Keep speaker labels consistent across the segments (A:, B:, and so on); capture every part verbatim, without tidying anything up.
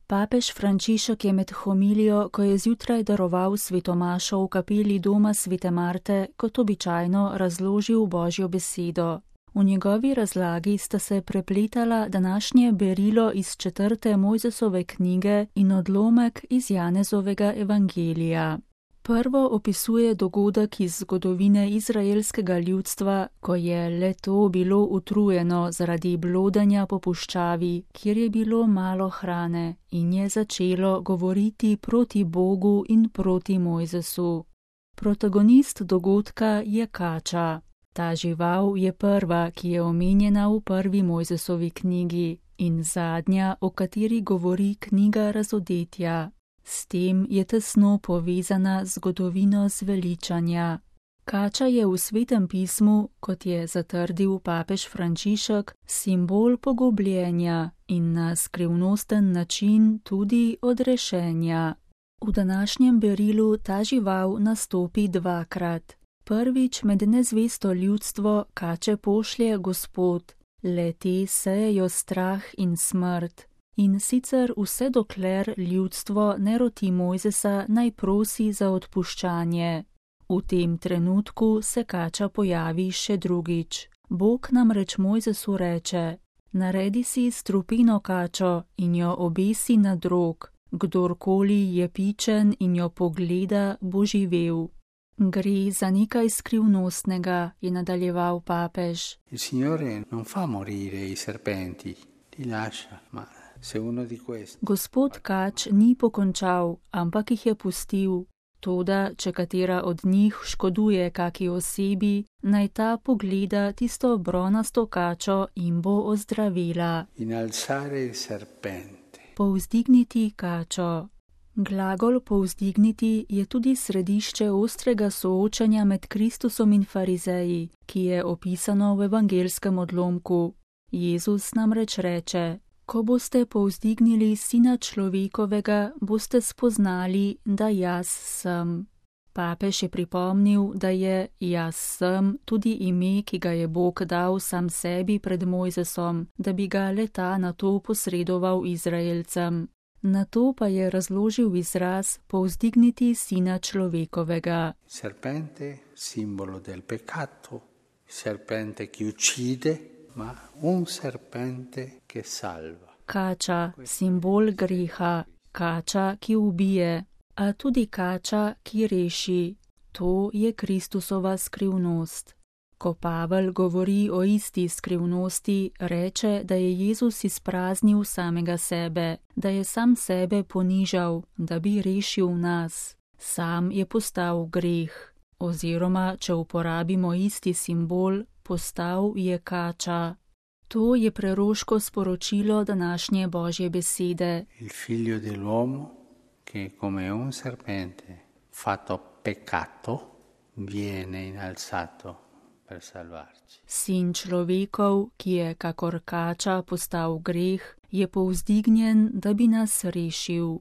A: Papež Frančišek je med homilijo, ko je zjutraj daroval svetomašo v kapeli doma Svete Marte, kot običajno razložil Božjo besedo. V njegovi razlagi sta se prepletala današnje berilo iz četrte Mojzesove knjige in odlomek iz Janezovega evangelija. Prvo opisuje dogodek iz zgodovine izraelskega ljudstva, ko je le to bilo utrujeno zaradi blodanja po puščavi, kjer je bilo malo hrane, in je začelo govoriti proti Bogu in proti Mojzesu. Protagonist dogodka je kača. Ta žival je prva, ki je omenjena v prvi Mojzesovi knjigi, in zadnja, o kateri govori knjiga Razodetja. S tem je tesno povezana zgodovino zveličanja. Kača je v Svetem pismu, kot je zatrdil papež Frančišek, simbol pogubljenja in na skrivnosten način tudi odrešenja. V današnjem berilu ta žival nastopi dvakrat. Prvič med nezvesto ljudstvo kače pošlje Gospod, le te sejejo strah in smrt. In sicer vse dokler ljudstvo ne roti Mojzesa, naj prosi za odpuščanje. V tem trenutku se kača pojavi še drugič. Bog namreč Mojzesu reče: naredi si strupino kačo in jo obesi na drog. Kdorkoli je pičen in jo pogleda, bo živel. Gre za nekaj skrivnostnega, je nadaljeval papež.
B: Il Signore non fa morire i serpenti, li lascia, ma se uno di questi.
A: Gospod kač ni pokončal, ampak jih je pustil. Toda, če katera od njih škoduje kaki osebi, naj ta pogleda tisto bronasto kačo in bo ozdravila.
B: Inalzare il serpente.
A: Povzdigniti kačo. Glagol povzdigniti je tudi središče ostrega soočanja med Kristusom in farizeji, ki je opisano v evangelskem odlomku. Jezus namreč reče: ko boste povzdignili Sina človekovega, boste spoznali, da jaz sem. Papež je pripomnil, da je jaz sem tudi ime, ki ga je Bog dal sam sebi pred Mojzesom, da bi ga le-ta nato posredoval Izraelcem. Nato pa je razložil izraz povzdigniti Sina človekovega.
B: Serpente, simbolo del peccato, serpente ki uccide, ma un serpente che salva.
A: Kača, simbol greha, kača, ki ubije, a tudi kača, ki reši. To je Kristusova skrivnost. Ko Pavel govori o isti skrivnosti, reče, da je Jezus izpraznil samega sebe, da je sam sebe ponižal, da bi rešil nas. Sam je postal greh, oziroma, če uporabimo isti simbol, postal je kača. To je preroško sporočilo današnje Božje besede.
B: Il figlio dell'uomo, che come un serpente fatto peccato, viene innalzato per salvarci.
A: Sin človekov, ki je kakor kača postal greh, je povzdignjen, da bi nas rešil.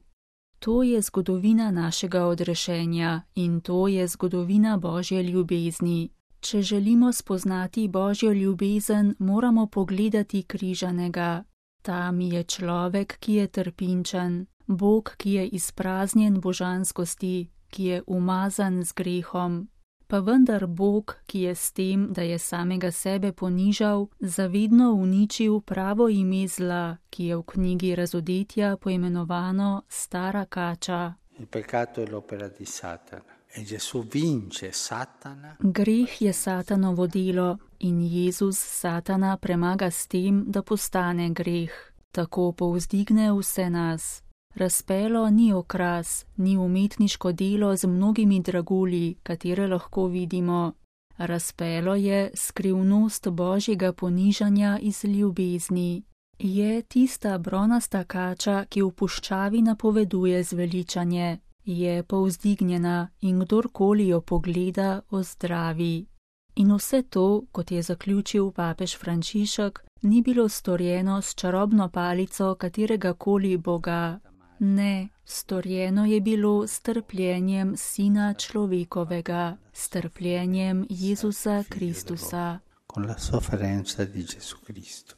A: To je zgodovina našega odrešenja in to je zgodovina Božje ljubezni. Če želimo spoznati Božjo ljubezen, moramo pogledati križanega. Tam je človek, ki je trpinčen, Bog, ki je izpraznjen božanskosti, ki je umazan z grehom. Pa vendar Bog, ki je s tem, da je samega sebe ponižal, zavedno uničil pravo ime zla, ki je v knjigi Razodetja poimenovano Stara kača.
B: Il peccato è l'opera di Satana. E Gesù vince Satana.
A: Greh je Satanovo delo in Jezus Satana premaga s tem, da postane greh. Tako povzdigne vse nas. Razpelo ni okras, ni umetniško delo z mnogimi dragulji, katere lahko vidimo. Razpelo je skrivnost Božjega ponižanja iz ljubezni. Je tista bronasta kača, ki v puščavi napoveduje zveličanje. Je povzdignjena in kdorkoli jo pogleda, ozdravi. In vse to, kot je zaključil papež Frančišek, ni bilo storjeno s čarobno palico katerega koli boga. Ne, storjeno je bilo s trpljenjem Sina človekovega, s trpljenjem Jezusa Kristusa.
B: Con la sofferenza di Gesù Cristo.